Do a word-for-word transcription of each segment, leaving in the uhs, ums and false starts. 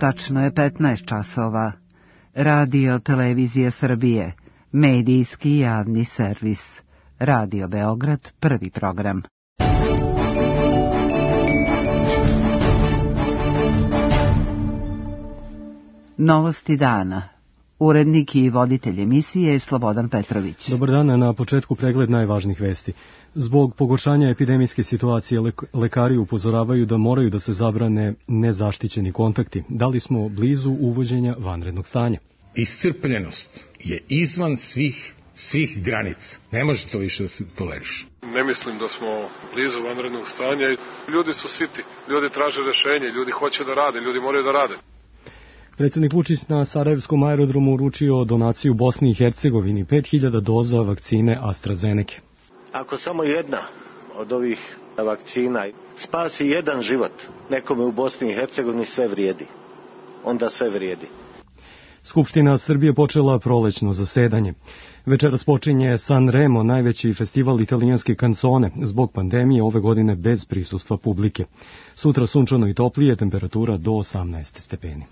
Tačno je petnaest časova. Radio Televizije Srbije, medijski javni servis. Radio Beograd, prvi program. Novosti dana. Urednik i voditelj emisije je Slobodan Petrović. Dobar dan, na početku pregled najvažnijih vesti. Zbog pogoršanja epidemijske situacije lekari upozoravaju da moraju da se zabrane nezaštićeni kontakti. Da li smo blizu uvođenja vanrednog stanja? Iscrpljenost je izvan svih, svih granica. Ne može to više da se toleriše. Ne mislim da smo blizu vanrednog stanja. Ljudi su siti, ljudi traže rešenje, ljudi hoće da rade, ljudi moraju da rade. Predsjednik Vučić na Sarajevskom aerodromu uručio donaciju Bosni i Hercegovini pet hiljada doza vakcine AstraZeneca. Ako samo jedna od ovih vakcina spasi jedan život nekome u Bosni i Hercegovini, sve vrijedi. Onda sve vrijedi. Skupština Srbije počela prolećno zasedanje. Večeras počinje Sanremo, najveći festival italijanske kancone, zbog pandemije ove godine bez prisustva publike. Sutra sunčano i toplije, temperatura do osamnaest stepeni.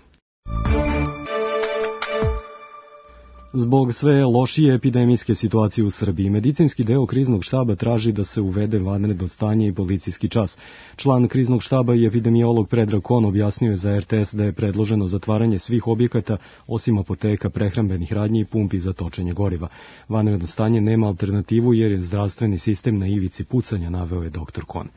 Zbog sve lošije epidemijske situacije u Srbiji, medicinski deo kriznog štaba traži da se uvede vanredno stanje i policijski čas. Član kriznog štaba i epidemiolog Predrag Kon objasnio je za er te es da je predloženo zatvaranje svih objekata, osim apoteka, prehrambenih radnji i pumpi za točenje goriva. Vanredno stanje nema alternativu jer je zdravstveni sistem na ivici pucanja, naveo je doktor Kon.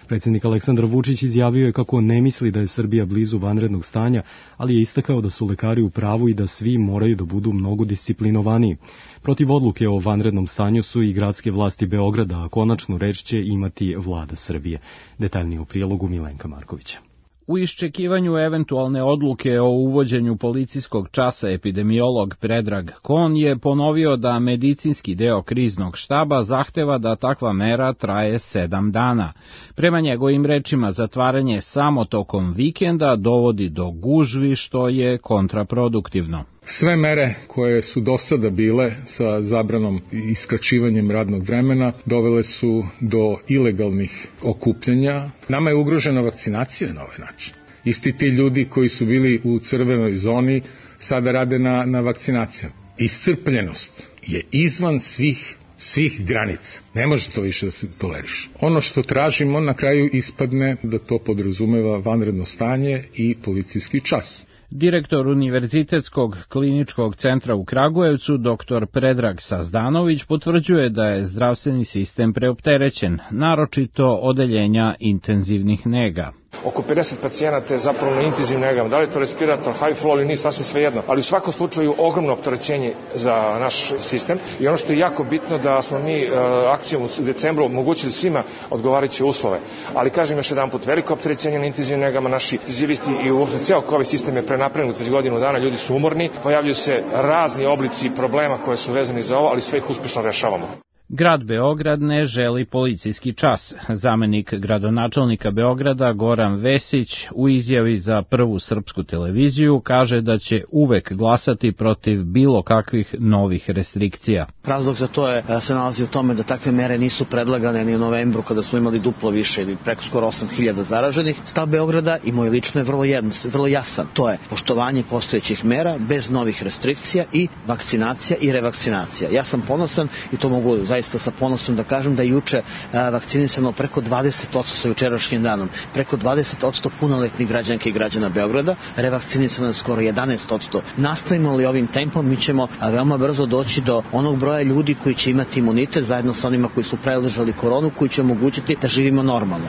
Predsjednik Aleksandar Vučić izjavio je kako ne misli da je Srbija blizu vanrednog stanja, ali je istakao da su lekari u pravu i da svi moraju da budu mnogo disciplinovaniji. Protiv odluke o vanrednom stanju su i gradske vlasti Beograda, a konačnu reč će imati vlada Srbije. Detaljnije u prilogu Milenka Markovića. U iščekivanju eventualne odluke o uvođenju policijskog časa epidemiolog Predrag Kon je ponovio da medicinski deo kriznog štaba zahteva da takva mera traje sedam dana. Prema njegovim rečima, zatvaranje samo tokom vikenda dovodi do gužvi, što je kontraproduktivno. Sve mere koje su do sada bile sa zabranom i skraćivanjem radnog vremena dovele su do ilegalnih okupljanja. Nama je ugrožena vakcinacija na ovaj način. Isti ti ljudi koji su bili u crvenoj zoni sada rade na, na vakcinacijama. Iscrpljenost je izvan svih svih granica. Ne može to više da se toleriše. Ono što tražimo na kraju ispadne da to podrazumeva vanredno stanje i policijski čas. Direktor Univerzitetskog kliničkog centra u Kragujevcu, doktor Predrag Sazdanović, potvrđuje da je zdravstveni sistem preopterećen, naročito odeljenja intenzivnih nega. Oko pedeset pacijenata je zapravo na intenzivnim negama. Da li je to respirator, high flow ili nije, sasvim svejedno. Ali u svakom slučaju ogromno opterećenje za naš sistem. I ono što je jako bitno da smo mi uh, akcijom u decembru omogućili svima odgovarajuće uslove. Ali kažem još jedan put, veliko opterećenje na intenzivnim negama. Naši intenzivisti i uopšte ceo ovaj sistem je prenapregnut već godinu dana. Ljudi su umorni, pojavljuju se razni oblici problema koje su vezani za ovo, ali sve ih uspešno rešavamo. Grad Beograd ne želi policijski čas. Zamenik gradonačelnika Beograda Goran Vesić u izjavi za Prvu srpsku televiziju kaže da će uvek glasati protiv bilo kakvih novih restrikcija. Razlog za to je se nalazi u tome da takve mere nisu predlagane ni u novembru kada smo imali duplo više ili preko skoro osam hiljada zaraženih. Stav Beograda i moj lično je vrlo, jedno, vrlo jasan. To je poštovanje postojećih mera bez novih restrikcija i vakcinacija i revakcinacija. Ja sam ponosan i to mogu zaista sa ponosom da kažem da je juče vakcinisano preko dvadeset posto sa jučerašnjim danom, preko dvadeset posto punoletnih građanki i građana Beograda, revakcinisano je skoro jedanaest posto. Nastavimo li ovim tempom, mi ćemo veoma brzo doći do onog broja ljudi koji će imati imunitet zajedno sa onima koji su preležali koronu, koji će omogućiti da živimo normalno.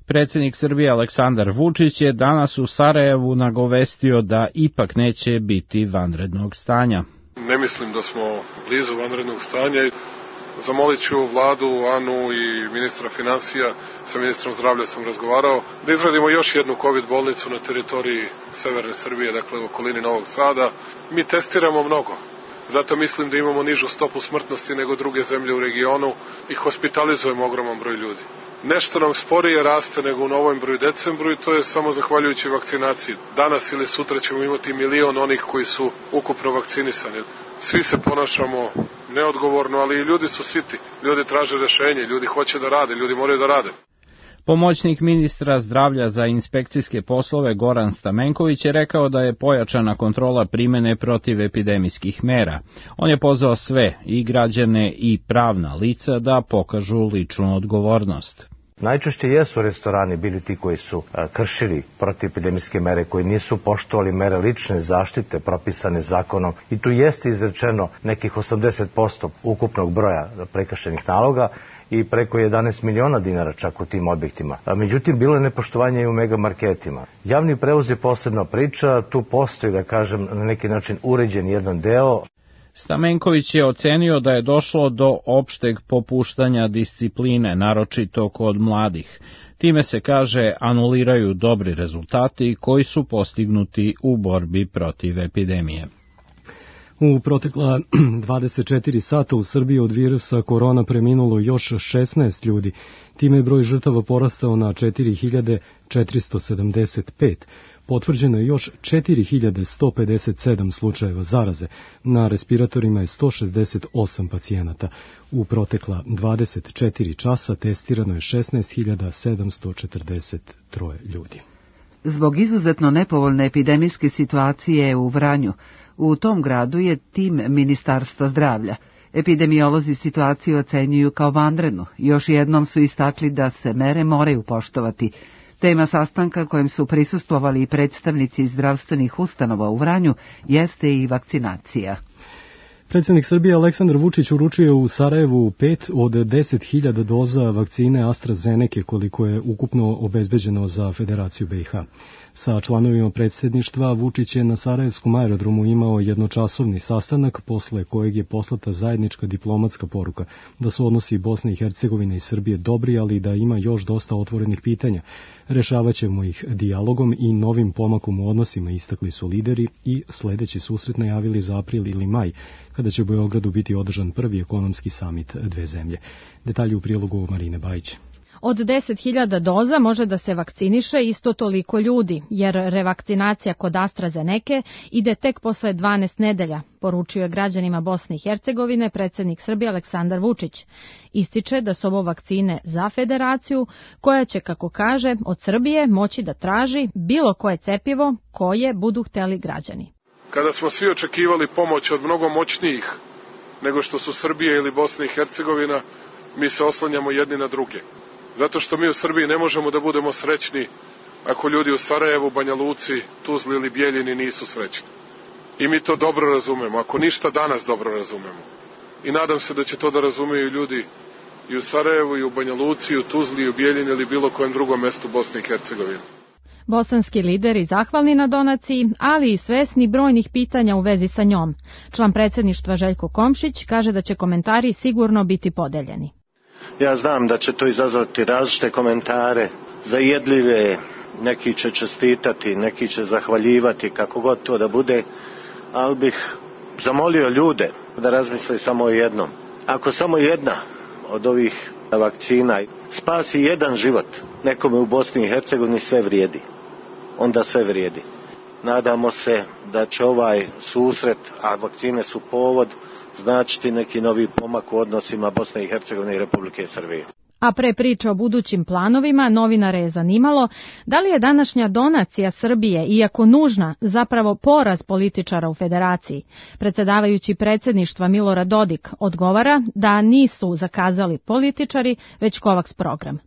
Predsjednik Srbije Aleksandar Vučić je danas u Sarajevu nagovestio da ipak neće biti vanrednog stanja. Ne mislim da smo blizu vanrednog stanja. Zamolit ću vladu, Anu i ministra financija, sa ministrom zdravlja sam razgovarao, da izradimo još jednu COVID bolnicu na teritoriji severne Srbije, dakle u okolini Novog Sada. Mi testiramo mnogo, zato mislim da imamo nižu stopu smrtnosti nego druge zemlje u regionu i hospitalizujemo ogroman broj ljudi. Nešto nam sporije raste nego u novembru i decembru i to je samo zahvaljujući vakcinaciji. Danas ili sutra ćemo imati milion onih koji su ukupno vakcinisani. Svi se ponašamo neodgovorno, ali i ljudi su siti. Ljudi traže rešenje, ljudi hoće da rade, ljudi moraju da rade. Pomoćnik ministra zdravlja za inspekcijske poslove Goran Stamenković je rekao da je pojačana kontrola primene protivepidemijskih mera. On je pozvao sve, i građane i pravna lica, da pokažu ličnu odgovornost. Najčešće jesu restorani bili ti koji su kršili protivepidemijske mere, koji nisu poštovali mere lične zaštite propisane zakonom i tu jeste izrečeno nekih osamdeset posto ukupnog broja prekršenih naloga i preko jedanaest miliona dinara čak u tim objektima. Međutim, bilo je nepoštovanje i u megamarketima. Javni prevoz je posebna priča, tu postoji, da kažem, na neki način uređen jedan deo. Stamenković je ocenio da je došlo do opšteg popuštanja discipline, naročito kod mladih. Time se, kaže, anuliraju dobri rezultati koji su postignuti u borbi protiv epidemije. U protekla dvadeset četiri sata u Srbiji od virusa korona preminulo još šesnaest ljudi. Time je broj žrtava porastao na četiri hiljade četiristo sedamdeset pet. Potvrđeno je još četiri hiljade sto pedeset sedam slučajeva zaraze. Na respiratorima je sto šezdeset osam pacijenata. U protekla dvadeset četiri časa testirano je šesnaest hiljada sedamsto četrdeset troje ljudi. Zbog izuzetno nepovoljne epidemijske situacije u Vranju, u tom gradu je tim Ministarstva zdravlja. Epidemiolozi situaciju ocenjuju kao vanrednu. Još jednom su istakli da se mere moraju poštovati. Tema sastanka kojem su prisustvovali i predstavnici zdravstvenih ustanova u Vranju jeste i vakcinacija. Predsjednik Srbije Aleksandar Vučić uručio u Sarajevu pet od deset hiljada doza vakcine AstraZeneca koliko je ukupno obezbeđeno za Federaciju B i H. Sa članovima predsjedništva Vučić je na Sarajevskom aerodromu imao jednočasovni sastanak posle kojeg je poslata zajednička diplomatska poruka da su odnosi Bosne i Hercegovine i Srbije dobri, ali da ima još dosta otvorenih pitanja. Rešavat ćemo ih dijalogom i novim pomakom u odnosima, istakli su lideri i sledeći susret najavili za april ili maj, kada će u Beogradu biti održan prvi ekonomski samit dve zemlje. Detalji u prilogu Marine Bajić. Od deset hiljada doza može da se vakciniše isto toliko ljudi, jer revakcinacija kod AstraZeneca ide tek posle dvanaest nedelja, poručio je građanima Bosne i Hercegovine predsjednik Srbije Aleksandar Vučić. Ističe da su ovo vakcine za Federaciju, koja će, kako kaže, od Srbije moći da traži bilo koje cepivo koje budu hteli građani. Kada smo svi očekivali pomoć od mnogo moćnijih nego što su Srbija ili Bosna i Hercegovina, mi se oslanjamo jedni na druge. Zato što mi u Srbiji ne možemo da budemo srećni ako ljudi u Sarajevu, Banja Luci, Tuzli ili Bijeljini nisu srećni. I mi to dobro razumemo, ako ništa danas dobro razumemo. I nadam se da će to da razumeju ljudi i u Sarajevu, i u Banja Luci, i u Tuzli, i u Bijeljini ili bilo kojem drugom mestu Bosne i Hercegovine. Bosanski lideri zahvalni na donaciji, ali i svesni brojnih pitanja u vezi sa njom. Član predsjedništva Željko Komšić kaže da će komentari sigurno biti podeljeni. Ja znam da će to izazvati različite komentare, zajedljive, neki će čestitati, neki će zahvaljivati, kako god to da bude, ali bih zamolio ljude da razmisle samo o jednom. Ako samo jedna od ovih vakcina spasi jedan život nekome u Bosni i Hercegovini, sve vrijedi. Onda sve vrijedi. Nadamo se da će ovaj susret, a vakcine su povod, značiti neki novi pomak u odnosima Bosne i Hercegovine i Republike Srbije. A pre priče o budućim planovima, novinare je zanimalo da li je današnja donacija Srbije, iako nužna, zapravo poraz političara u Federaciji. Predsjedavajući predsjedništva Milorad Dodik odgovara da nisu zakazali političari, već Kovaks program.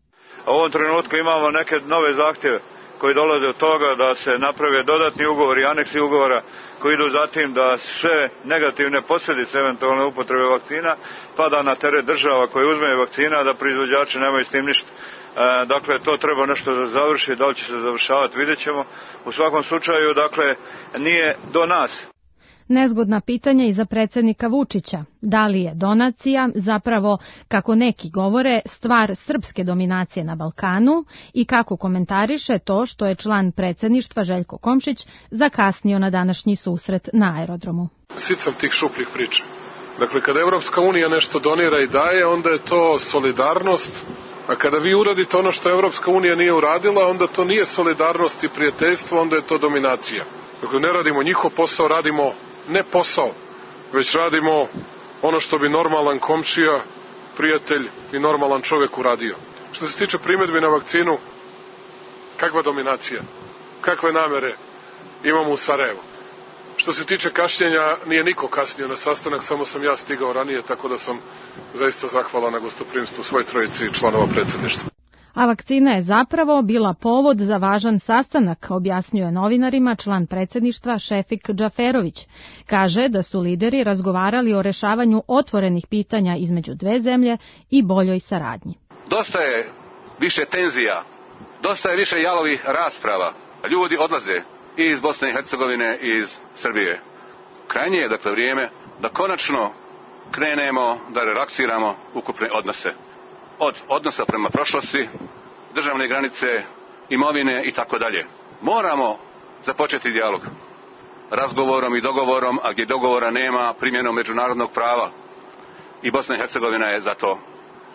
U ovom trenutku imamo neke nove zahtjeve koji dolaze od toga da se naprave dodatni ugovori, aneksi ugovora koji idu zatim da sve negativne posljedice eventualne upotrebe vakcina pada na teret država koje uzmeju vakcina, da proizvođači nemaju s tim ništa. E, dakle, to treba nešto da završi, da li će se završavati, vidjet ćemo. U svakom slučaju, dakle, nije do nas. Nezgodna pitanja i za predsjednika Vučića. Da li je donacija zapravo, kako neki govore, stvar srpske dominacije na Balkanu i kako komentariše to što je član predsjedništva Željko Komšić zakasnio na današnji susret na aerodromu. Sicam tih šupljih priča. Dakle, kada Evropska unija nešto donira i daje, onda je to solidarnost, a kada vi uradite ono što Evropska unija nije uradila, onda to nije solidarnost i prijateljstvo, onda je to dominacija. Dakle, ne radimo njihov posao, radimo ne posao, već radimo ono što bi normalan komšija, prijatelj i normalan čovjek uradio. Što se tiče primjedbi na vakcinu, kakva dominacija, kakve namere imamo u Sarajevu. Što se tiče kašnjenja, nije niko kasnio na sastanak, samo sam ja stigao ranije, tako da sam zaista zahvalan na gostoprimstvu svoj trojici članova predsjedništva. A vakcina je zapravo bila povod za važan sastanak, objasnjuje novinarima član predsjedništva Šefik Džaferović. Kaže da su lideri razgovarali o rešavanju otvorenih pitanja između dve zemlje i boljoj saradnji. Dosta je više tenzija, dosta je više jalovih rasprava. Ljudi odlaze i iz Bosne i Hercegovine i iz Srbije. Krajnje je dakle vrijeme da konačno krenemo da relaksiramo ukupne odnose. Od odnosa prema prošlosti, državne granice, imovine i tako dalje. Moramo započeti dijalog razgovorom i dogovorom, a gdje dogovora nema, primjenom međunarodnog prava. I Bosna i Hercegovina je za to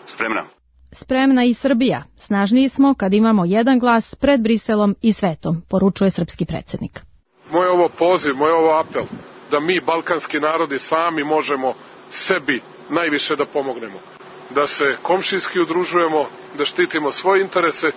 spremna. Spremna i Srbija. Snažniji smo kad imamo jedan glas pred Briselom i svetom, poručuje srpski predsjednik. Moj ovo poziv, moj ovo apel, da mi, balkanski narodi, sami možemo sebi najviše da pomognemo. Da se komšijski udružujemo, da štitimo svoje interese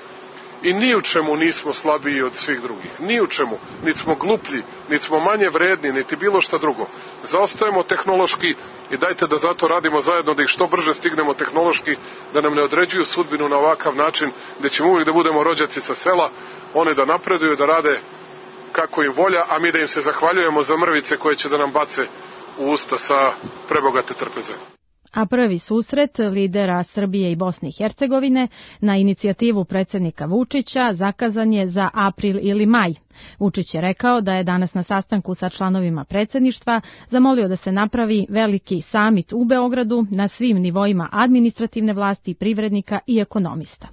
i ni u čemu nismo slabiji od svih drugih. Ni u čemu. Niti smo gluplji, niti smo manje vredni, niti bilo šta drugo. Zaostajemo tehnološki i dajte da zato radimo zajedno, da ih što brže stignemo tehnološki, da nam ne određuju sudbinu na ovakav način, gdje ćemo uvijek da budemo rođaci sa sela, one da napreduju, da rade kako im volja, a mi da im se zahvaljujemo za mrvice koje će da nam bace u usta sa prebogate trpeze. A prvi susret lidera Srbije i Bosne i Hercegovine na inicijativu predsjednika Vučića zakazan je za april ili maj. Vučić je rekao da je danas na sastanku sa članovima predsjedništva zamolio da se napravi veliki samit u Beogradu na svim nivoima administrativne vlasti, privrednika i ekonomista.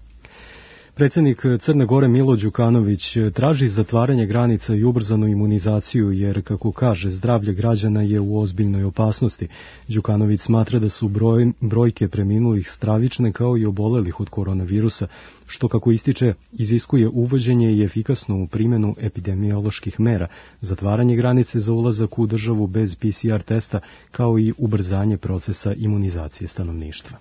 Predsjednik Crne Gore Milo Đukanović traži zatvaranje granica i ubrzanu imunizaciju jer, kako kaže, zdravlje građana je u ozbiljnoj opasnosti. Đukanović smatra da su broj, brojke preminulih stravične kao i obolelih od koronavirusa, što, kako ističe, iziskuje uvođenje i efikasnu primjenu epidemioloških mera, zatvaranje granice za ulazak u državu bez P C R testa, kao i ubrzanje procesa imunizacije stanovništva.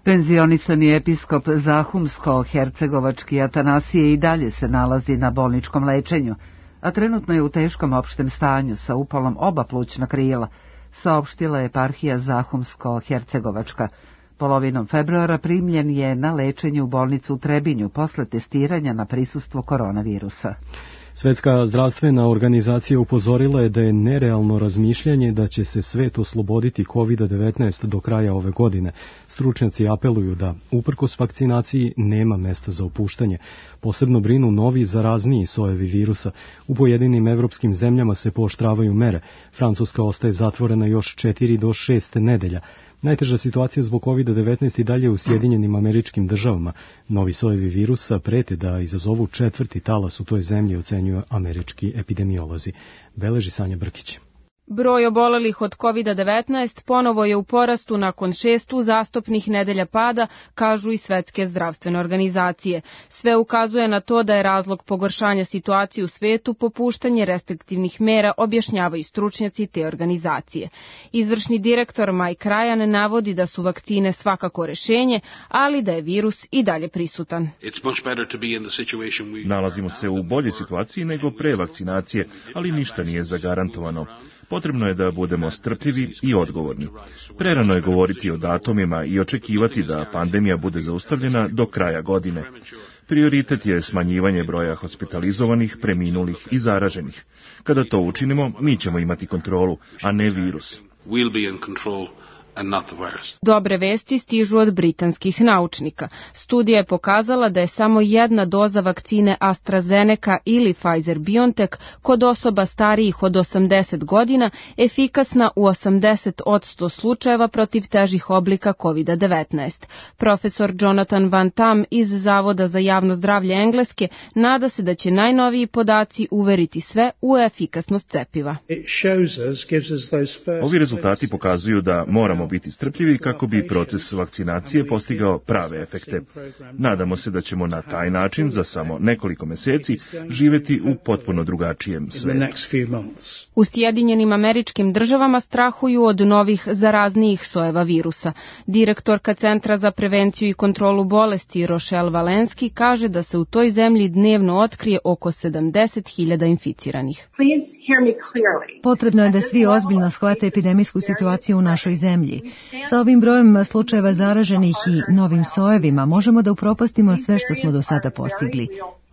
Penzionisani episkop Zahumsko-Hercegovački Atanasije i dalje se nalazi na bolničkom lečenju, a trenutno je u teškom opštem stanju sa upalom oba plućna krila, saopštila je eparhija Zahumsko-Hercegovačka. Polovinom februara primljen je na lečenje u bolnicu u Trebinju posle testiranja na prisustvo koronavirusa. Svetska zdravstvena organizacija upozorila je da je nerealno razmišljanje da će se svet osloboditi kovid devetnaest do kraja ove godine. Stručnjaci apeluju da, uprkos vakcinaciji, nema mesta za opuštanje. Posebno brinu novi zarazniji sojevi virusa. U pojedinim evropskim zemljama se pooštravaju mere. Francuska ostaje zatvorena još četiri do šest nedelja. Najteža situacija zbog kovid devetnaest i dalje u Sjedinjenim Američkim Državama. Novi sojevi virusa prete da izazovu četvrti talas u toj zemlji, ocenjuju američki epidemiolozi. Beleži Sanja Brkić. Broj obolelih od kovid devetnaest ponovo je u porastu nakon šest uzastopnih nedelja pada, kažu i Svetske zdravstvene organizacije. Sve ukazuje na to da je razlog pogoršanja situacije u svetu popuštanje restriktivnih mera, objašnjavaju stručnjaci te organizacije. Izvršni direktor Mike Ryan navodi da su vakcine svakako rešenje, ali da je virus i dalje prisutan. Nalazimo se u boljoj situaciji nego pre vakcinacije, ali ništa nije zagarantovano. Potrebno je da budemo strpljivi i odgovorni. Prerano je govoriti o datumima i očekivati da pandemija bude zaustavljena do kraja godine. Prioritet je smanjivanje broja hospitalizovanih, preminulih i zaraženih. Kada to učinimo, mi ćemo imati kontrolu, a ne virus. Dobre vesti stižu od britanskih naučnika. Studija je pokazala da je samo jedna doza vakcine AstraZeneca ili Pfizer-BioNTech kod osoba starijih od osamdeset godina efikasna u osamdeset posto slučajeva protiv težih oblika kovid devetnaest. Profesor Jonathan Van Tam iz Zavoda za javno zdravlje Engleske nada se da će najnoviji podaci uveriti sve u efikasnost cepiva. Ovi rezultati pokazuju da moramo moramo biti strpljivi kako bi proces vakcinacije postigao prave efekte. Nadamo se da ćemo na taj način za samo nekoliko meseci živjeti u potpuno drugačijem svetu. U Sjedinjenim Američkim Državama strahuju od novih zaraznijih sojeva virusa. Direktorka Centra za prevenciju i kontrolu bolesti Rochelle Walensky kaže da se u toj zemlji dnevno otkrije oko sedamdeset hiljada inficiranih. Potrebno je da svi ozbiljno shvate epidemijsku situaciju u našoj zemlji. Sa ovim brojem slučajeva zaraženih i novim sojevima možemo da upropastimo sve što smo do sada postigli.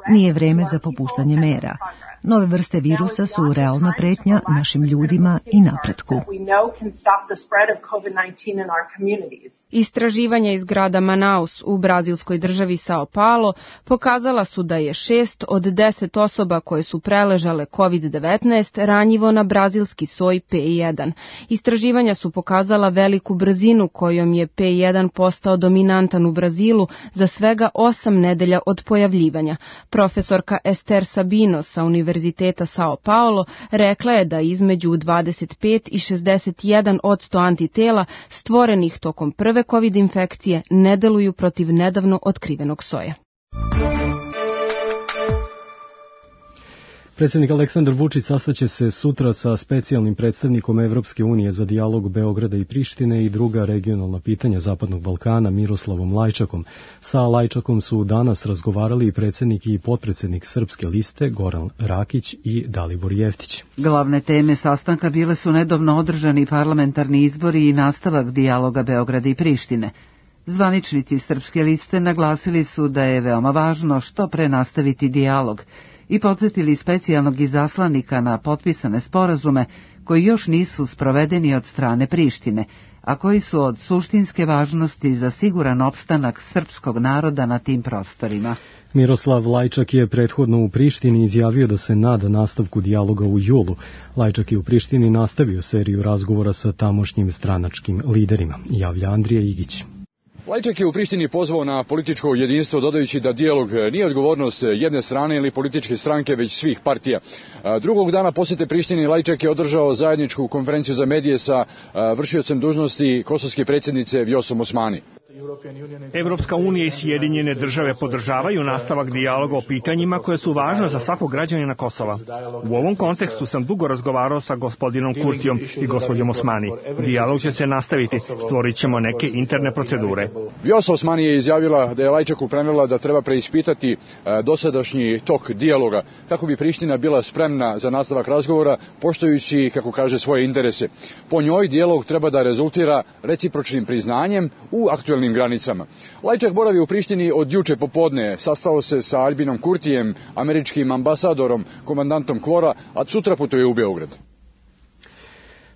Nije vreme za popuštanje mera. Nove vrste virusa su realna pretnja našim ljudima i napretku. Istraživanja iz grada Manaus u brazilskoj državi Sao Paulo pokazala su da je šest od deset osoba koje su preležale kovid devetnaest ranjivo na brazilski soj P jedan. Istraživanja su pokazala veliku brzinu kojom je P jedan postao dominantan u Brazilu za svega osam nedelja od pojavljivanja. Profesorka Ester Sabino sa Univerziteta Sao Paulo rekla je da između dvadeset pet i šezdeset jedan posto antitela stvorenih tokom prve kovid infekcije ne deluju protiv nedavno otkrivenog soja. Predsjednik Aleksandar Vučić sastaće se sutra sa specijalnim predstavnikom Evropske unije za dijalog Beograda i Prištine i druga regionalna pitanja Zapadnog Balkana Miroslavom Lajčakom. Sa Lajčakom su danas razgovarali i predsjednik i potpredsjednik Srpske liste Goran Rakić i Dalibor Jeftić. Glavne teme sastanka bile su nedavno održani parlamentarni izbori i nastavak dijaloga Beograda i Prištine. Zvaničnici Srpske liste naglasili su da je veoma važno što pre nastaviti dijalog i podsjetili specijalnog izaslanika na potpisane sporazume koji još nisu sprovedeni od strane Prištine, a koji su od suštinske važnosti za siguran opstanak srpskog naroda na tim prostorima. Miroslav Lajčak je prethodno u Prištini izjavio da se nada nastavku dijaloga u julu. Lajčak je u Prištini nastavio seriju razgovora sa tamošnjim stranačkim liderima, javlja Andrija Igić. Lajčak je u Prištini pozvao na političko jedinstvo, dodajući da dijalog nije odgovornost jedne strane ili političke stranke, već svih partija. Drugog dana posjete Prištini Lajčak je održao zajedničku konferenciju za medije sa vršiocem dužnosti kosovske predsjednice Vjosom Osmani. Evropska unija i Sjedinjene države podržavaju nastavak dijaloga o pitanjima koje su važne za svakog građanina Kosova. U ovom kontekstu sam dugo razgovarao sa gospodinom Kurtijom i gospođom Osmani. Dijalog će se nastaviti, stvorit ćemo neke interne procedure. Vjosa Osmani je izjavila da je Lajčaku prenijela da treba preispitati dosadašnji tok dijaloga, kako bi Priština bila spremna za nastavak razgovora, poštujući, kako kaže, svoje interese. Po njoj dijalog treba da rezultira recipročnim priznanjem u aktuelnim granicama. Lajčak boravi u Prištini od juče popodne, sastao se sa Albinom Kurtijem, američkim ambasadorom, komandantom Kvora, a sutra putuje u Beograd.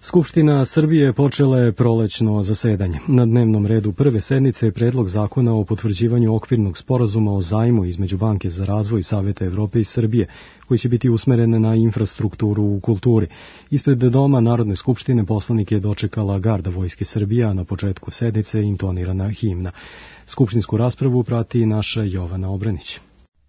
Skupština Srbije počela je prolećno zasedanje. Na dnevnom redu prve sednice je predlog zakona o potvrđivanju okvirnog sporazuma o zajmu između Banke za razvoj Saveta Evrope i Srbije, koji će biti usmeren na infrastrukturu u kulturi. Ispred doma Narodne skupštine poslanike je dočekala garda Vojske Srbije, a na početku sednice je intonirana himna. Skupštinsku raspravu prati naša Jovana Obranić.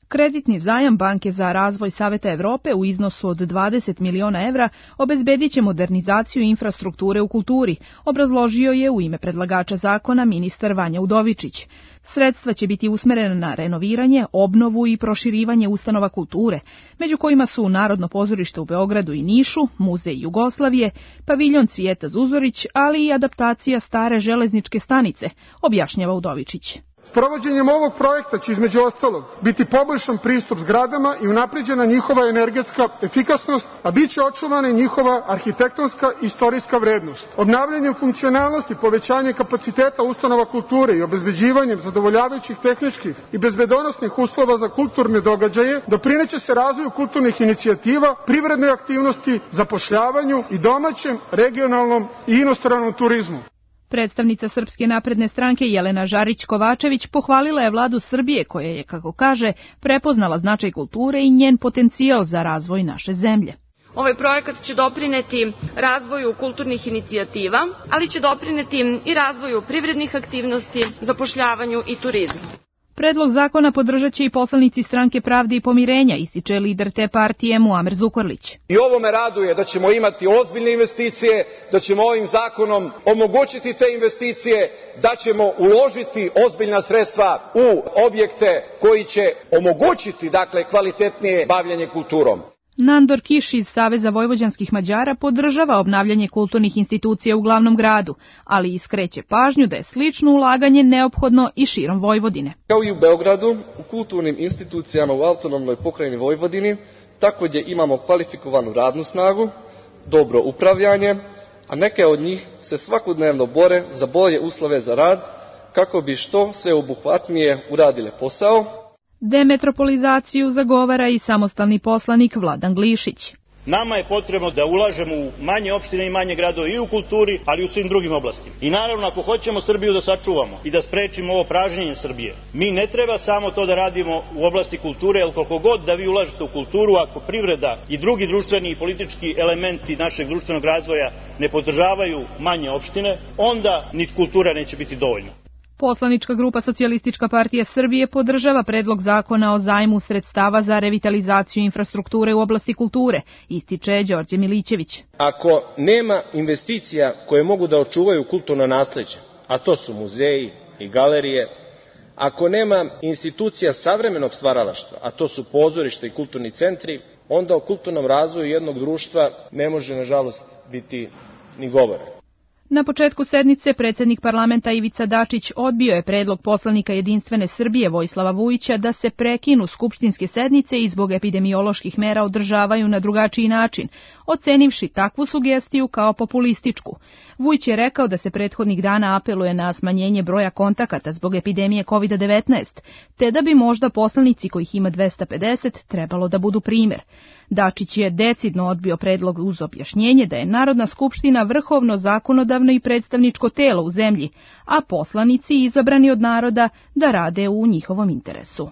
Kreditni zajam Banke za razvoj Saveta Evrope u iznosu od dvadeset miliona evra obezbedit će modernizaciju infrastrukture u kulturi, obrazložio je u ime predlagača zakona ministar Vanja Udovičić. Sredstva će biti usmerena na renoviranje, obnovu i proširivanje ustanova kulture, među kojima su Narodno pozorište u Beogradu i Nišu, Muzej Jugoslavije, paviljon Cvijeta Zuzorić, ali i adaptacija stare železničke stanice, objašnjava Udovičić. Sprovođenjem ovog projekta će između ostalog biti poboljšan pristup zgradama i unapređena njihova energetska efikasnost, a bit će očuvana i njihova arhitektonska i istorijska vrednost. Obnavljanjem funkcionalnosti, povećanje kapaciteta ustanova kulture i obezbeđivanjem zadovoljavajućih tehničkih i bezbedonosnih uslova za kulturne događaje doprineće se razvoju kulturnih inicijativa, privrednoj aktivnosti, zapošljavanju i domaćem, regionalnom i inostranom turizmu. Predstavnica Srpske napredne stranke Jelena Žarić-Kovačević pohvalila je vladu Srbije koja je, kako kaže, prepoznala značaj kulture i njen potencijal za razvoj naše zemlje. Ovaj projekat će doprineti razvoju kulturnih inicijativa, ali će doprineti i razvoju privrednih aktivnosti, zapošljavanju i turizmu. Predlog zakona podržat će i poslanici Stranke pravde i pomirenja, ističe lider te partije Muamer Zukorlić. I ovo me raduje da ćemo imati ozbiljne investicije, da ćemo ovim zakonom omogućiti te investicije, da ćemo uložiti ozbiljna sredstva u objekte koji će omogućiti, dakle, kvalitetnije bavljenje kulturom. Nandor Kiš iz Saveza vojvođanskih Mađara podržava obnavljanje kulturnih institucija u glavnom gradu, ali iskreće pažnju da je slično ulaganje neophodno i širom Vojvodine. Kao i u Beogradu, u kulturnim institucijama u autonomnoj pokrajini Vojvodini takođe imamo kvalifikovanu radnu snagu, dobro upravljanje, a neke od njih se svakodnevno bore za bolje uslove za rad kako bi što sveobuhvatnije uradile posao. Demetropolizaciju zagovara i samostalni poslanik Vladan Glišić. Nama je potrebno da ulažemo u manje opštine i manje gradove i u kulturi, ali i u svim drugim oblastima. I naravno, ako hoćemo Srbiju da sačuvamo i da sprečimo ovo pražnjenje Srbije, mi ne treba samo to da radimo u oblasti kulture, jer koliko god da vi ulažete u kulturu, ako privreda i drugi društveni i politički elementi našeg društvenog razvoja ne podržavaju manje opštine, onda ni kultura neće biti dovoljna. Poslanička grupa Socijalistička partija Srbije podržava predlog zakona o zajmu sredstava za revitalizaciju infrastrukture u oblasti kulture, ističe Đorđe Milićević. Ako nema investicija koje mogu da očuvaju kulturno nasleđe, a to su muzeji i galerije, ako nema institucija savremenog stvaralaštva, a to su pozorišta i kulturni centri, onda o kulturnom razvoju jednog društva ne može, nažalost, biti ni govora. Na početku sednice predsjednik parlamenta Ivica Dačić odbio je predlog poslanika Jedinstvene Srbije Vojislava Vujića da se prekinu skupštinske sednice i zbog epidemioloških mera održavaju na drugačiji način, ocenivši takvu sugestiju kao populističku. Vujić je rekao da se prethodnih dana apeluje na smanjenje broja kontakata zbog epidemije kovid devetnaest, te da bi možda poslanici kojih ima dvesta pedeset trebalo da budu primjer. Dačić je decidno odbio predlog uz objašnjenje da je Narodna skupština vrhovno zakonodavno i predstavničko telo u zemlji, a poslanici izabrani od naroda da rade u njihovom interesu.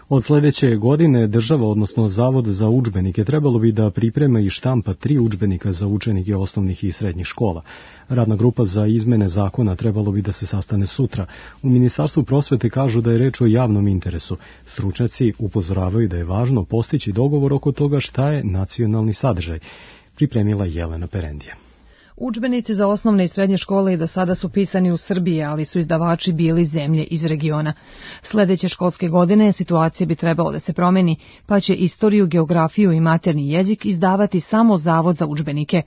Od sledeće godine država, odnosno Zavod za udžbenike, trebalo bi da priprema i štampa tri udžbenika za učenike osnovnih i srednjih škola. Radna grupa za izmene zakona trebalo bi da se sastane sutra. U Ministarstvu prosvete kažu da je reč o javnom interesu. Stručnjaci upozoravaju da je važno postići dogovor oko toga šta je nacionalni sadržaj. Pripremila Jelena Perendija. Udžbenici za osnovne i srednje škole i do sada su pisani u Srbiji, ali su izdavači bili zemlje iz regiona. Sledeće školske godine situacija bi trebalo da se promeni, pa će istoriju, geografiju i materni jezik izdavati samo Zavod za udžbenike.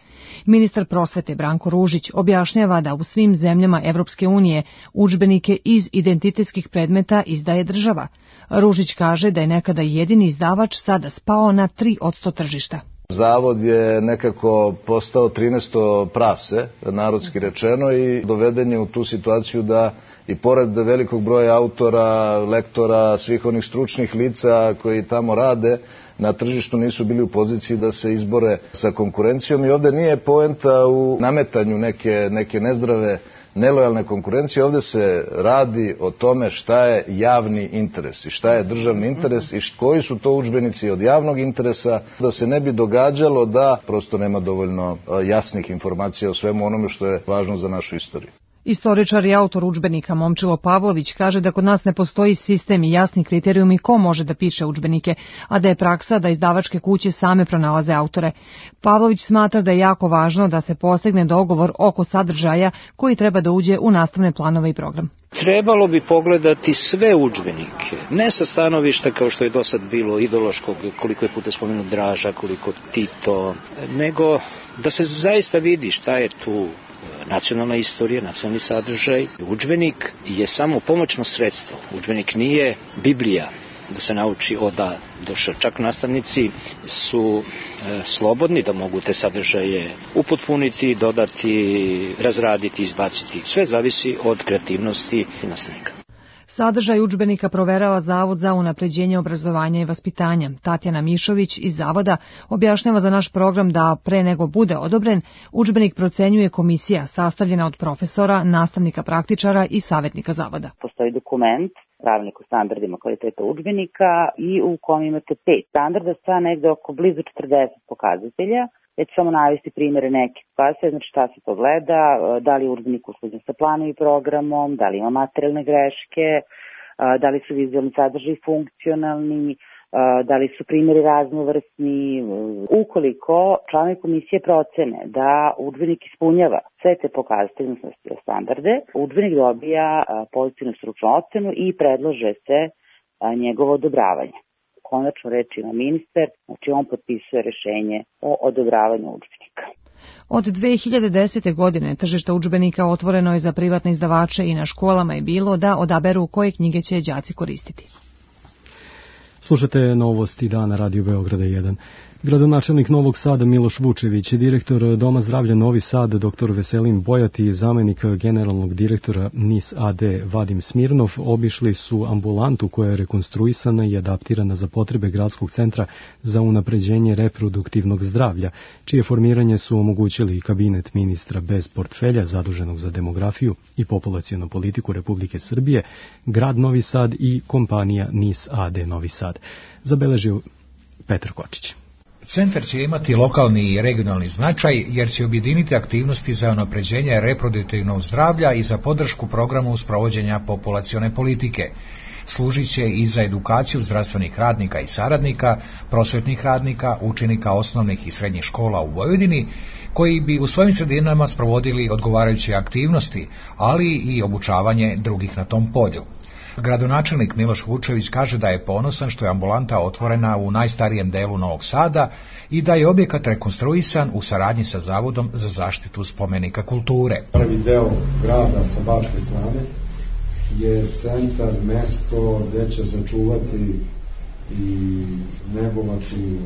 Ministar prosvete Branko Ružić objašnjava da u svim zemljama Evropske unije udžbenike iz identitetskih predmeta izdaje država. Ružić kaže da je nekada jedini izdavač sada spao na tri posto tržišta. Zavod je nekako postao trinaesto prase, narodski rečeno, i doveden je u tu situaciju da i pored velikog broja autora, lektora, svih onih stručnih lica koji tamo rade, na tržištu nisu bili u poziciji da se izbore sa konkurencijom i ovde nije poenta u nametanju neke, neke nezdrave nelojalne konkurencije, ovde se radi o tome šta je javni interes i šta je državni interes i koji su to udžbenici od javnog interesa, da se ne bi događalo da prosto nema dovoljno jasnih informacija o svemu onome što je važno za našu istoriju. Istoričar i autor udžbenika Momčilo Pavlović kaže da kod nas ne postoji sistem i jasni kriterijumi ko može da piše udžbenike, a da je praksa da izdavačke kuće same pronalaze autore. Pavlović smatra da je jako važno da se postigne dogovor oko sadržaja koji treba da uđe u nastavne planove i program. Trebalo bi pogledati sve udžbenike, ne sa stanovišta kao što je do sad bilo ideološkog, koliko je puta spomenut Draža, koliko Tito, nego da se zaista vidi šta je tu nacionalna istorija, nacionalni sadržaj. Udžbenik je samo pomoćno sredstvo. Udžbenik nije Biblija da se nauči od A do Š. Čak nastavnici su e, slobodni da mogu te sadržaje upotpuniti, dodati, razraditi, izbaciti. Sve zavisi od kreativnosti nastavnika. Sadržaj udžbenika proverava Zavod za unapređenje obrazovanja i vaspitanja. Tatjana Mišović iz Zavoda objašnjava za naš program da pre nego bude odobren, udžbenik procenjuje komisija sastavljena od profesora, nastavnika praktičara i savjetnika Zavoda. Postoji dokument, pravilnik o standardima kvaliteta udžbenika i u kom imate pet standarda sa negde oko blizu četrdeset pokazatelja. Ja ću samo navesti primjere neke pokazatelje, znači šta se to gleda, da li je udžbenik usklađen sa planom i programom, da li ima materijalne greške, da li su vizualni sadržaji funkcionalni, da li su primjeri raznovrsni. Ukoliko članovi komisije procene da udžbenik ispunjava sve te pokazatelje, odnosno standarde, udžbenik dobija pozitivnu stručnu ocenu i predlože se njegovo odobravanje. Konačno reč ima ministar, znači on potpisuje rešenje o odobravanju udžbenika. Od dve hiljade desete. godine tržište udžbenika otvoreno je za privatne izdavače i na školama je bilo da odaberu koje knjige će đaci koristiti. Slušate novosti dana Radio Beograda jedan. Gradonačelnik Novog Sada Miloš Vučević, direktor Doma zdravlja Novi Sad doktor Veselin Bojat i zamenik generalnog direktora N I S A D Vadim Smirnov obišli su ambulantu koja je rekonstruisana i adaptirana za potrebe gradskog centra za unapređenje reproduktivnog zdravlja, čije formiranje su omogućili kabinet ministra bez portfelja zaduženog za demografiju i populacionu politiku Republike Srbije, grad Novi Sad i kompanija N I S A D Novi Sad. Zabeležio Petar Kočić. Centar će imati lokalni i regionalni značaj jer će objediniti aktivnosti za unapređenje reproduktivnog zdravlja i za podršku programu sprovođenja populacione politike. Služit će i za edukaciju zdravstvenih radnika i saradnika, prosvetnih radnika, učenika osnovnih i srednjih škola u Vojvodini, koji bi u svojim sredinama sprovodili odgovarajuće aktivnosti, ali i obučavanje drugih na tom polju. Gradonačelnik Miloš Vučević kaže da je ponosan što je ambulanta otvorena u najstarijem delu Novog Sada i da je objekat rekonstruisan u saradnji sa Zavodom za zaštitu spomenika kulture. Prvi deo grada sa bačke strane je centar, mesto gde će sačuvati i negovati,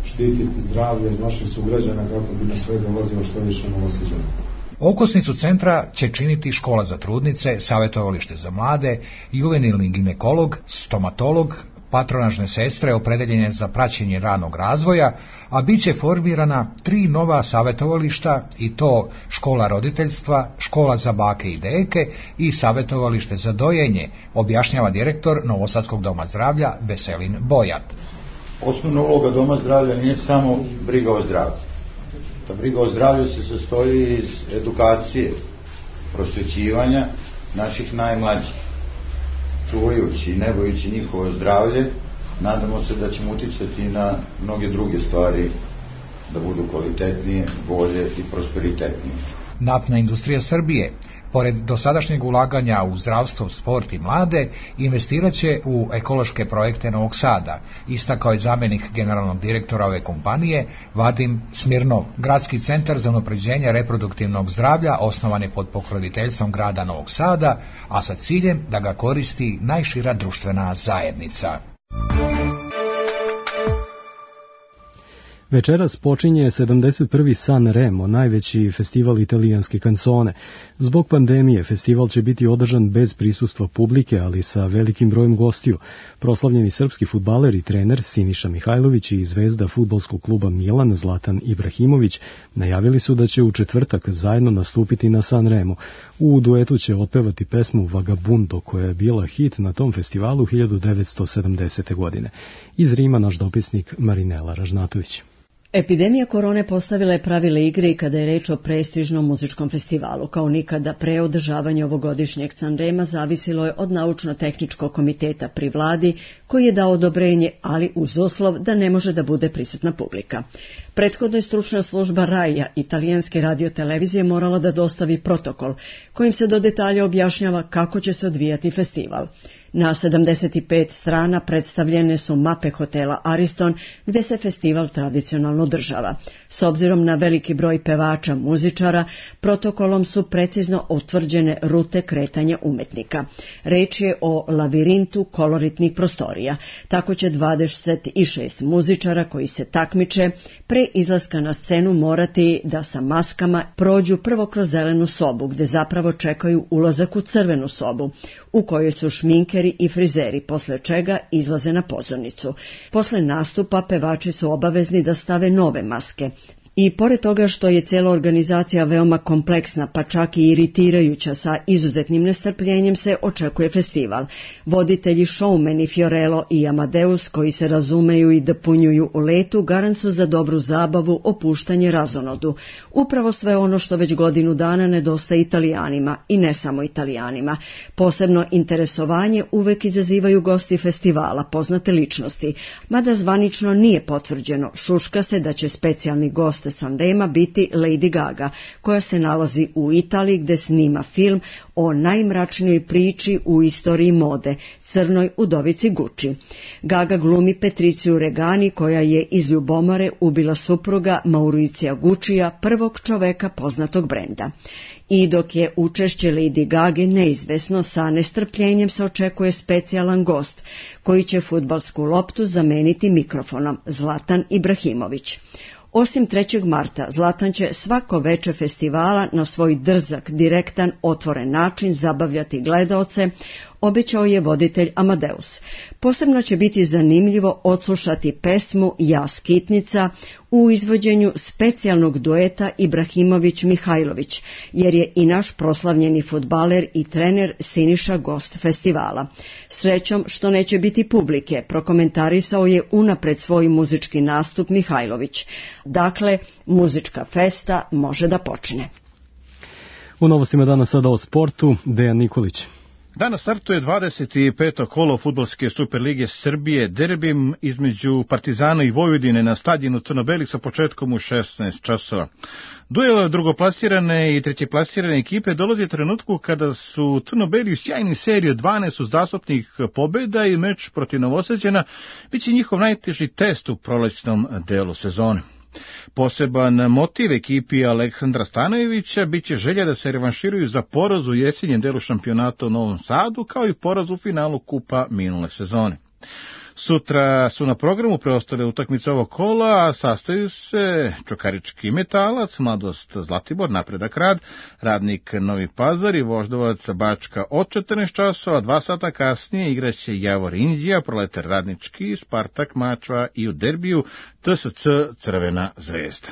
štititi zdravlje naših sugrađana kako bi na sve dolazilo što više Novosađana. Okosnicu centra će činiti škola za trudnice, savjetovalište za mlade, juvenilni ginekolog, stomatolog, patronažne sestre opredeljene za praćenje ranog razvoja, a bit će formirana tri nova savjetovališta i to škola roditeljstva, škola za bake i deke i savjetovalište za dojenje, objašnjava direktor Novosadskog doma zdravlja Veselin Bojat. Osnovna uloga doma zdravlja nije samo briga o zdravlju. Ta briga o zdravlju se sastoji iz edukacije, prosvećivanja naših najmlađih. Čuvajući i negujući njihovo zdravlje, nadamo se da ćemo uticati na mnoge druge stvari da budu kvalitetnije, bolje i prosperitetnije. Naftna industrija Srbije, pored dosadašnjeg ulaganja u zdravstvo, sport i mlade, investirat će u ekološke projekte Novog Sada, istakao je zamenik generalnog direktora ove kompanije Vadim Smirnov. Gradski centar za unapređenje reproduktivnog zdravlja osnovan je pod pokroviteljstvom grada Novog Sada, a sa ciljem da ga koristi najšira društvena zajednica. Večeras počinje sedamdeset prvi San Remo, najveći festival italijanske kansone. Zbog pandemije festival će biti održan bez prisustva publike, ali sa velikim brojem gostiju. Proslavljeni srpski fudbaler i trener Siniša Mihajlović i zvezda fudbalskog kluba Milan Zlatan Ibrahimović najavili su da će u četvrtak zajedno nastupiti na San Remo. U duetu će otpevati pesmu Vagabundo, koja je bila hit na tom festivalu hiljadu devetsto sedamdesete. godine. Iz Rima naš dopisnik Marinela Ražnatović. Epidemija korone postavila je pravile igre i kada je reč o prestižnom muzičkom festivalu. Kao nikada pre, održavanje ovogodišnjeg Sanrema zavisilo je od naučno-tehničkog komiteta pri vladi, koji je dao odobrenje, ali uz uslov da ne može da bude prisutna publika. Prethodno je stručna služba RAI-a italijanske radiotelevizije morala da dostavi protokol, kojim se do detalja objašnjava kako će se odvijati festival. Na sedamdeset pet strana predstavljene su mape hotela Ariston, gde se festival tradicionalno održava. S obzirom na veliki broj pevača, muzičara, protokolom su precizno utvrđene rute kretanja umetnika. Reč je o lavirintu koloritnih prostorija. Tako će dvadeset šest muzičara koji se takmiče pre izlaska na scenu morati da sa maskama prođu prvo kroz zelenu sobu, gde zapravo čekaju ulazak u crvenu sobu, u kojoj su šminkeri i frizeri, posle čega izlaze na pozornicu. Posle nastupa pevači su obavezni da stave nove maske. I pored toga što je cela organizacija veoma kompleksna, pa čak i iritirajuća, sa izuzetnim nestrpljenjem se očekuje festival. Voditelji, showmeni Fiorello i Amadeus, koji se razumeju i dopunjuju u letu, garant su za dobru zabavu, opuštanje, razonodu. Upravo sve ono što već godinu dana nedostaje Italijanima, i ne samo Italijanima. Posebno interesovanje uvek izazivaju gosti festivala, poznate ličnosti. Mada zvanično nije potvrđeno, šuška se da će specijalni gost Sanrema biti Lady Gaga, koja se nalazi u Italiji gde snima film o najmračnijoj priči u istoriji mode, crnoj udovici Gucci. Gaga glumi Patriciju Regani, koja je iz ljubomore ubila supruga Mauricija Guccija, prvog čoveka poznatog brenda. I dok je učešće Lady Gage neizvesno, sa nestrpljenjem se očekuje specijalan gost, koji će fudbalsku loptu zameniti mikrofonom, Zlatan Ibrahimović. Osim trećeg marta, Zlatan će svako veče festivala na svoj drzak, direktan, otvoren način zabavljati gledaoce, obećao je voditelj Amadeus. Posebno će biti zanimljivo odslušati pesmu Ja skitnica u izvođenju specijalnog dueta Ibrahimović-Mihajlović, jer je i naš proslavljeni fudbaler i trener Siniša gost festivala. Srećom što neće biti publike, prokomentarisao je unapred svoj muzički nastup Mihajlović. Dakle, muzička festa može da počne. U novostima danas sada o sportu, Dejan Nikolić. Danas startuje dvadeset peto kolo Fudbalske Superlige Srbije, derbim između Partizana i Vojvodine na stadionu Crno-beli sa početkom u šesnaest časova. Duel drugoplasirane i trećeplasirane ekipe dolazi u trenutku kada su Crno-beli u sjajnoj seriji od dvanaest uzastopnih pobjeda i meč protiv Novosađana biće njihov najteži test u prolećnom delu sezone. Poseban motiv ekipi Aleksandra Stanojevića biće želja da se revanširaju za poraz u jesenjem delu šampionata u Novom Sadu, kao i poraz u finalu kupa minule sezone. Sutra su na programu preostale utakmice ovog kola, a sastaju se Čukarički Metalac, Mladost Zlatibor, Napredak Rad, Radnik Novi Pazar i Voždovac Bačka od četrnaest časova, dva sata kasnije igraće Javor Inđija, Proletar Radnički, Spartak Mačva i u derbiju T S C Crvena zvezda.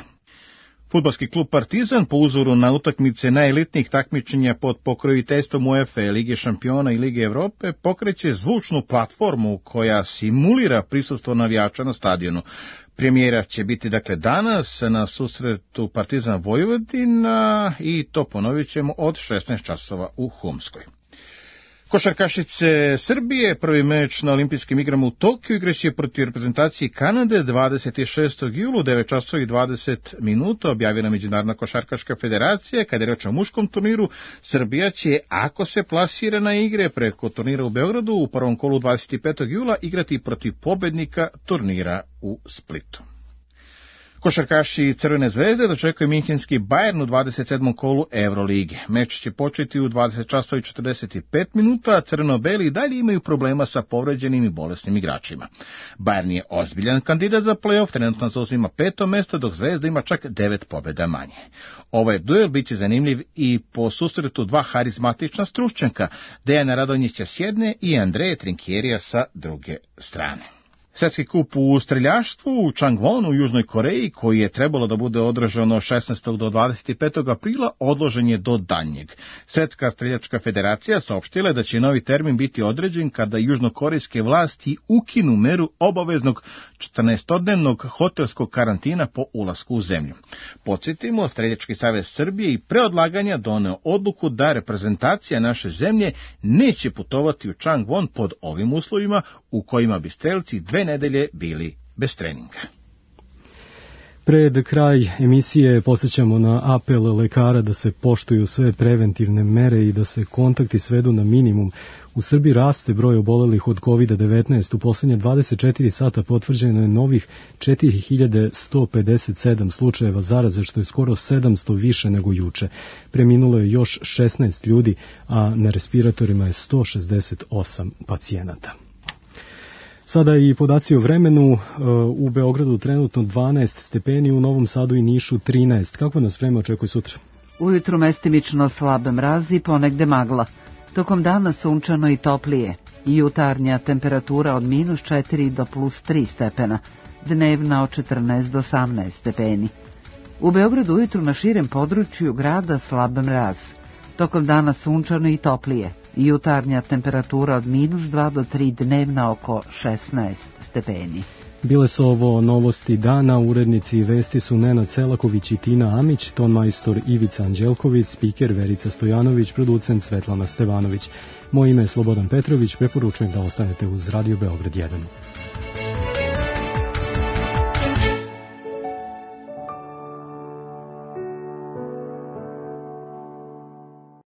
Fudbalski klub Partizan po uzoru na utakmice najelitnijih takmičenja pod pokroviteljstvom UEFA, Lige šampiona i Lige Evrope pokreće zvučnu platformu koja simulira prisustvo navijača na stadionu. Premijera će biti dakle danas na susretu Partizan Vojvodina i to ponovit ćemo od šesnaest časova u Humskoj. Košarkašice Srbije, prvi meč na olimpijskim igrama u Tokiju igraće protiv reprezentacije Kanade dvadeset šestog jula u devet časova i dvadeset minuta, objavila Međunarodna košarkaška federacija. Kada je reč o muškom turniru, Srbija će, ako se plasira na igre preko turnira u Beogradu, u prvom kolu dvadeset petog jula igrati protiv pobednika turnira u Splitu. Košarkaši Crvene zvezde dočekuje minhenski Bayern u dvadeset sedmom kolu Evrolige. Meč će početi u dvadeset časova i četrdeset pet minuta, a crno-beli dalje imaju problema sa povređenim i bolesnim igračima. Bayern je ozbiljan kandidat za play-off, trenutno zauzima peto mesto, dok Zvezda ima čak devet pobjeda manje. Ovaj duel biće zanimljiv i po susretu dva harizmatična stručnjaka, Dejana Radonjića s jedne i Andreja Trinkjerija sa druge strane. Svetski kup u streljaštvu u Changwonu u Južnoj Koreji, koji je trebalo da bude održano šesnaestog do dvadeset petog aprila, odložen je do daljnjeg. Svetska streljačka federacija saopštila je da će novi termin biti određen kada južnokorejske vlasti ukinu meru obaveznog četrnaestodnevnog hotelskog karantina po ulasku u zemlju. Podsjetimo, Streljački savez Srbije i pre odlaganja doneo odluku da reprezentacija naše zemlje neće putovati u Changwon pod ovim uslovima u kojima bi strelci dve nedelje bili bez treninga. Pred kraj emisije podsjećamo na apel lekara da se poštuju sve preventivne mere i da se kontakti svedu na minimum. U Srbiji raste broj obolelih od kovid devetnaest. U posljednje dvadeset četiri sata potvrđeno je novih četiri hiljade sto pedeset sedam slučajeva zaraze, što je skoro sedamsto više nego juče. Preminulo je još šesnaest ljudi, a na respiratorima je sto šezdeset osam pacijenata. Sada i podaci o vremenu. U Beogradu trenutno dvanaest stepeni, u Novom Sadu i Nišu trinaest. Kako nas vreme očekuje sutra? Ujutru mestimično slabe mrazi, ponegde magla. Tokom dana sunčano i toplije. Jutarnja temperatura od minus četiri do plus tri stepena. Dnevna od četrnaest do osamnaest stepeni. U Beogradu ujutru na širem području grada slab mraz. Tokom dana sunčano i toplije. Jutarnja temperatura od minus dva do tri, dnevna oko šesnaest stepeni. Bile su ovo novosti dana, urednici vesti su Nenad Selaković i Tina Amić, ton majstor Ivica Anđelković, spiker Verica Stojanović, producent Svetlana Stevanović. Moje ime je Slobodan Petrović, preporučujem da ostanete uz Radio Beograd jedan.